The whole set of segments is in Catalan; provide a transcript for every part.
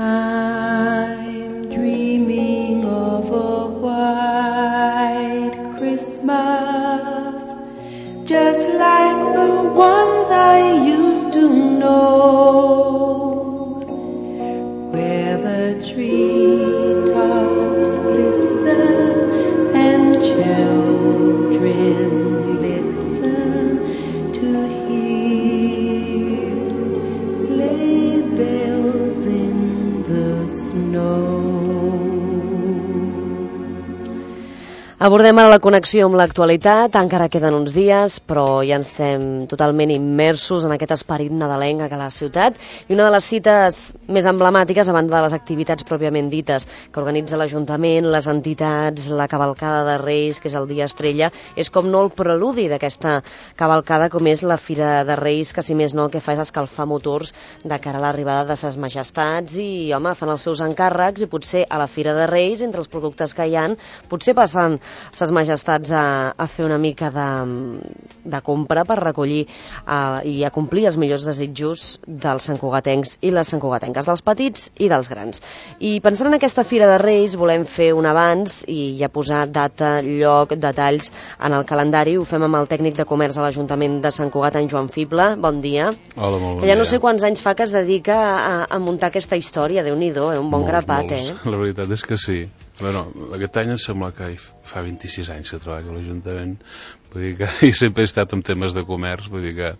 I'm dreaming of a white Christmas, just like the ones I used to know, where the treetops glisten and children listen to hear sleigh bells in the snow. Abordem ara la connexió amb l'actualitat, encara queden uns dies, però ja ens estem totalment immersos en aquest esperit nadalenc a la ciutat, i una de les cites més emblemàtiques, a banda de les activitats pròpiament dites que organitza l'Ajuntament, les entitats, la cavalcada de Reis, que és el dia estrella, és com no el preludi d'aquesta cavalcada, com és la Fira de Reis, que si més no el que fa és escalfar motors de cara a l'arribada de ses majestats, i home, fan els seus encàrrecs, i potser a la Fira de Reis, entre els productes que hi ha, potser passen ses majestats a fer una mica de compra per recollir i a complir els millors desitjos dels santcugatencs i les santcugatenques, dels petits i dels grans. I pensant en aquesta Fira de Reis volem fer un avanç i ja posar data, lloc, detalls en el calendari. Ho fem amb el tècnic de comerç a l'Ajuntament de Sant Cugat, en Joan Fible. Bon dia. Hola, molt bon dia. Ja no sé quants anys fa que es dedica a muntar aquesta història, Déu-n'hi-do, un bon grapat, molts. La veritat és que sí. Bueno, aquest any em sembla que fa 26 anys que treballo a l'Ajuntament, vull dir que i sempre he estat en temes de comerç, vull dir que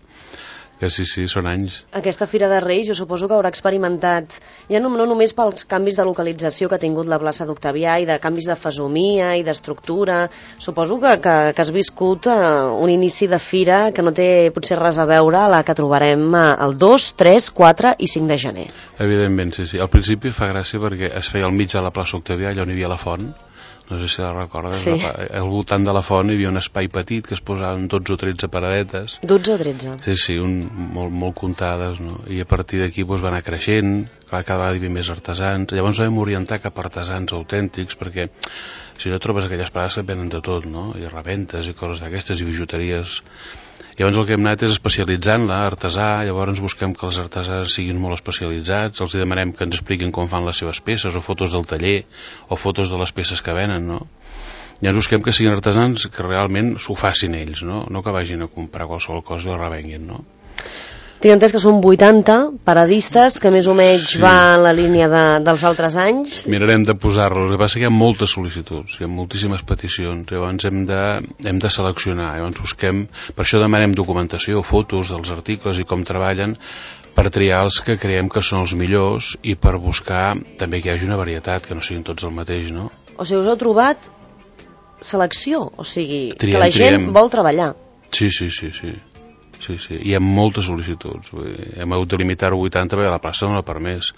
sí, són anys. Aquesta Fira de Reis jo suposo que haurà experimentat, ja no només pels canvis de localització que ha tingut la plaça d'Octavià i de canvis de fesomia i d'estructura, suposo que has viscut un inici de fira que no té potser res a veure a la que trobarem el 2, 3, 4 i 5 de gener. Evidentment, sí. Al principi fa gràcia perquè es feia al mig de la plaça Octavià, allà on hi havia la font. No sé si la recordes, sí. Al voltant de la font hi havia un espai petit que es posaven 12 o 13 paradetes. 12 o 13? Sí, molt comptades, no? I a partir d'aquí va anar creixent, clar, cada vegada hi havia més artesans. Llavors vam orientar cap a artesans autèntics, perquè si no trobes aquelles parades que venen de tot, no? I rebentes i coses d'aquestes, i bijuteries. Llavors el que hem anat és especialitzant-la, artesà, llavors busquem que els artesans siguin molt especialitzats, els demanem que ens expliquin com fan les seves peces, o fotos del taller, o fotos de les peces que venen, no? Llavors busquem que siguin artesans que realment s'ho facin ells, no? No que vagin a comprar qualsevol cosa i la revenguin, no? Tinc entès que són 80 paradistes, que més o menys va en la línia dels altres anys. Mirarem de posar-los. El que passa que hi ha moltes sol·licituds, hi ha moltíssimes peticions, llavors hem de seleccionar, llavors busquem, per això demanem documentació, fotos dels articles i com treballen, per triar els que creiem que són els millors i per buscar també que hi hagi una varietat, que no siguin tots el mateix, no? O sigui, us heu trobat selecció, o sigui, que la gent vol treballar. Sí. Sí, hi ha moltes sol·licituds. Hem hagut de limitar-ho a 80 perquè la plaça no la permès.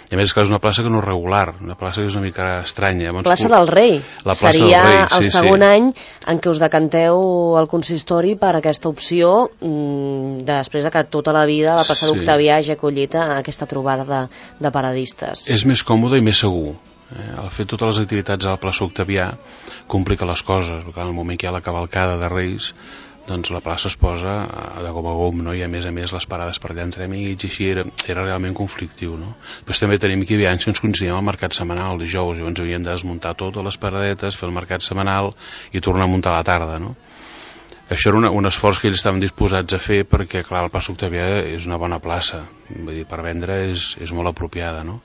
I a més és una plaça que no és regular, una plaça que és una mica estranya. Plaça del Rei. La plaça Seria del Rei, el segon any en què us decanteu al consistori per aquesta opció, després de que tota la vida la plaça d'Octavià hagi acollit aquesta trobada de paradistes. És més còmode i més segur. El fer totes les activitats a la plaça Octavià complica les coses, perquè en el moment que hi ha la cavalcada de Reis, doncs la plaça es posa de gom a gom, no? I a més les parades per allà entremig, i així era realment conflictiu, no? Després també tenim que hi havia anys que ens coincidíem al mercat setmanal, el dijous, llavors havíem de desmuntar totes les paradetes, fer el mercat setmanal i tornar a muntar a la tarda, no? Això era un esforç que ells estaven disposats a fer perquè, clar, la plaça Octavià és una bona plaça, vull dir, per vendre és molt apropiada, no?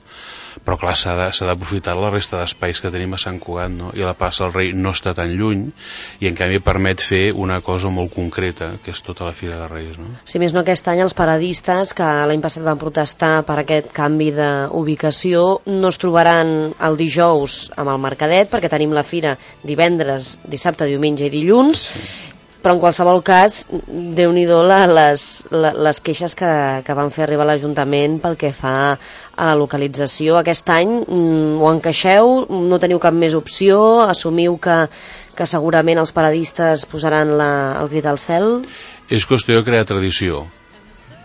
Però, clar, s'ha d'aprofitar la resta d'espais que tenim a Sant Cugat, no? I la plaça del Rei no està tan lluny i, en canvi, permet fer una cosa molt concreta, que és tota la Fira de Reis, no? Si més no, aquest any els paradistes, que l'any passat van protestar per aquest canvi d'ubicació, no es trobaran el dijous amb el mercadet, perquè tenim la fira divendres, dissabte, diumenge i dilluns, però en qualsevol cas, Déu-n'hi-do les queixes que van fer arribar a l'Ajuntament pel que fa a la localització. Aquest any ho encaixeu, no teniu cap més opció, assumiu que segurament els paradistes posaran el crit al cel? És qüestió de crear tradició.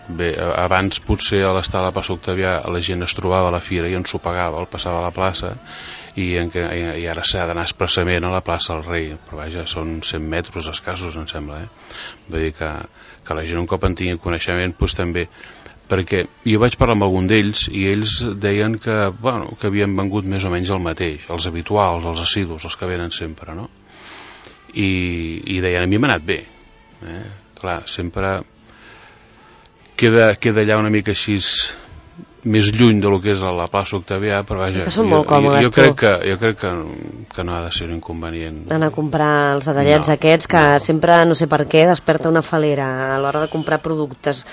Bé, abans potser a l'estar a la plaça Octavià la gent es trobava a la fira i ens ho pagava, el passava a la plaça, i ara s'ha d'anar expressament a la plaça del Rei, però vaja, són 100 metres escassos, em sembla, Vull dir que la gent un cop en tingui coneixement, doncs també perquè jo vaig parlar amb algun d'ells i ells deien que havien vengut més o menys el mateix, els habituals, els assidus, els que venen sempre, no? I deien, a mi m'ha anat bé. Clar, sempre queda allà una mica així més lluny de lo que és la plaça Octavià, però vaja, són molt còmodes, jo crec que no ha de ser un inconvenient. Anar a comprar els detallets aquests que sempre, no sé per què, desperta una falera a l'hora de comprar productes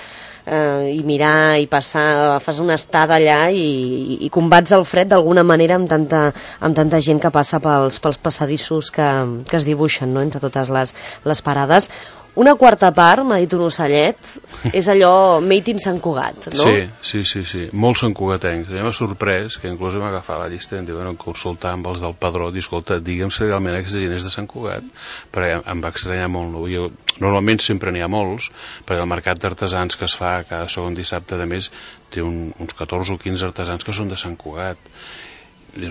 i mirar i passar, fas una estada allà i combats el fred d'alguna manera amb tanta gent que passa pels passadissos que es dibuixen, no?, entre totes les parades. Una quarta part, m'ha dit un ocellet, és allò made in Sant Cugat, no? Sí. Molts santcugatencs. A mi m'ha sorprès que inclús vam agafar la llista i em diuen consultar amb els del padró, dir, escolta, digue'm si realment aquesta gent és de Sant Cugat, perquè em va estranyar molt. No? Normalment sempre n'hi ha molts, perquè el mercat d'artesans que es fa cada segon dissabte de mes té uns 14 o 15 artesans que són de Sant Cugat. I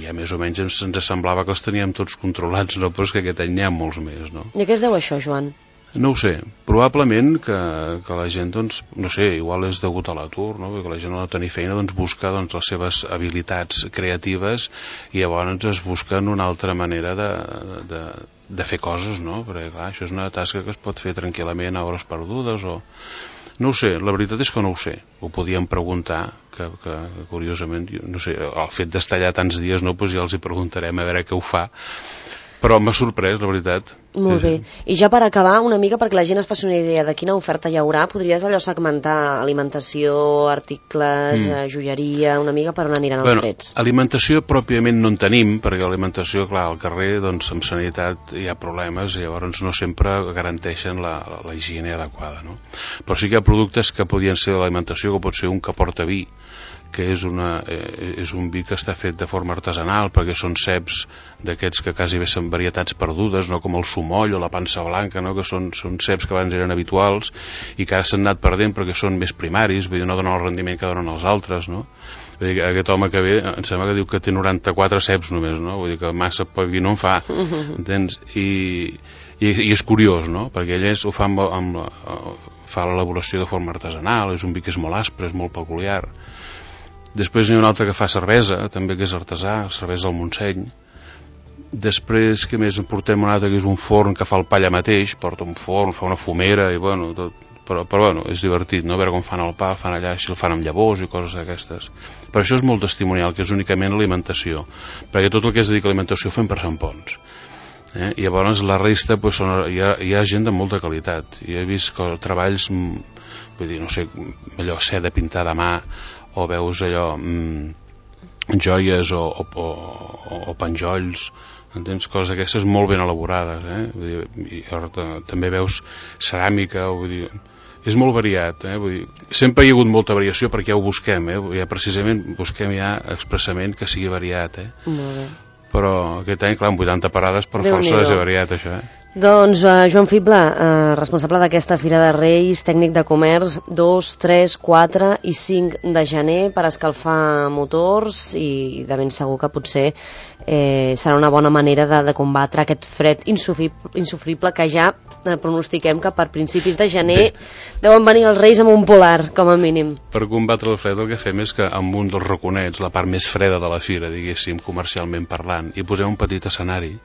ja més o menys ens semblava que els teníem tots controlats, no? Però és que aquest any n'hi ha molts més, no? I a què es deu això, Joan? No ho sé, probablement que la gent, doncs, no sé, igual és degut a l'atur, no? Perquè la gent no ha de tenir feina, doncs busca les seves habilitats creatives i llavors es busquen una altra manera de fer coses, no? Perquè clar, això és una tasca que es pot fer tranquil·lament a hores perdudes o... No ho sé, la veritat és que no ho sé. Ho podíem preguntar, que curiosament, no sé, el fet d'estar allà tants dies, no, doncs ja els hi preguntarem a veure què ho fa. Però m'ha sorprès, la veritat. Molt bé. I ja per acabar, una mica perquè la gent es faci una idea de quina oferta hi haurà, podries allò segmentar alimentació, articles, joieria, una mica per on aniran els freds? Alimentació pròpiament no en tenim, perquè l'alimentació, clar, al carrer, doncs, amb sanitat hi ha problemes i llavors no sempre garanteixen la higiene adequada, no? Però sí que hi ha productes que podien ser de l'alimentació, que pot ser un que porta vi, que és un vi que està fet de forma artesanal, perquè són ceps d'aquests que quasi bé són varietats perdudes, no com el sumoll o la pansa blanca, no? Que són ceps que abans eren habituals i que ara s'han anat perdent perquè són més primaris, vull dir, no donen el rendiment que donen els altres, no? Vull dir, aquest home que ve, em sembla que diu que té 94 ceps només, no? Vull dir que massa poc vi no en fa, entens? I és curiós, no? Perquè ell ho fa fa l'elaboració de forma artesanal, és un vi que és molt aspre, és molt peculiar. Després n'hi ha un altre que fa cervesa, també que és artesà, cervesa del Montseny. Després, què més? Portem un altre que és un forn que fa el pa allà mateix, porta un forn, fa una fumera, i bueno, tot. Però bueno, és divertit, no? A veure com fan el pa, el fan allà, així el fan amb llavors i coses d'aquestes. Però això és molt testimonial, que és únicament alimentació, perquè tot el que es dedica a alimentació ho fem per Sant Pons. I llavors la resta doncs, hi ha gent de molta qualitat. I he vist treballs, vull dir, no sé, allò seda pintada a mà, o veus allò joies o penjolls, entens? Coses d'aquestes molt ben elaborades, vull dir, i també veus ceràmica, vull dir, és molt variat, vull dir, sempre hi ha hagut molta variació perquè ja ho busquem, ja precisament busquem ja expressament que sigui variat, Molt bé. Però aquest any, clar, amb 80 parades per força és variat això, Doncs Joan Fible, responsable d'aquesta Fira de Reis, tècnic de comerç, 2, 3, 4 i 5 de gener per escalfar motors i de ben segur que potser serà una bona manera de combatre aquest fred insufrible que ja pronostiquem que per principis de gener deuen venir els Reis amb un polar, com a mínim. Per combatre el fred el que fem és que amb un dels raconets, la part més freda de la fira, diguéssim, comercialment parlant, hi posem un petit escenari.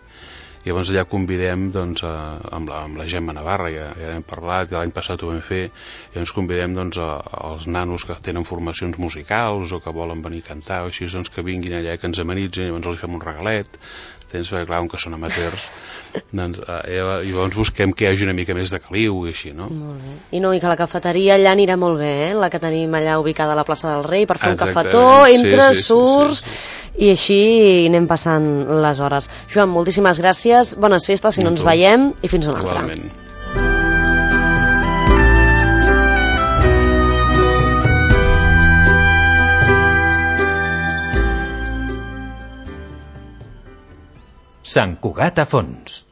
I llavors allà convidem doncs, amb la Gemma Navarra, ja n'hem parlat, i l'any passat ho vam fer, i ens convidem doncs, als nanos que tenen formacions musicals o que volen venir a cantar, o així, doncs, que vinguin allà i que ens amenitzin, i llavors els fem un regalet, perquè clar, que són amateurs, doncs, llavors busquem que hi hagi una mica més de caliu i així, no? Molt bé. I que la cafeteria allà anirà molt bé, la que tenim allà ubicada a la plaça del Rei, per fer un cafetó, entres, surts, i així anem passant les hores. Joan, moltíssimes gràcies, bones festes si no ens veiem i fins una altra. Igualment. Sant Cugat a fons.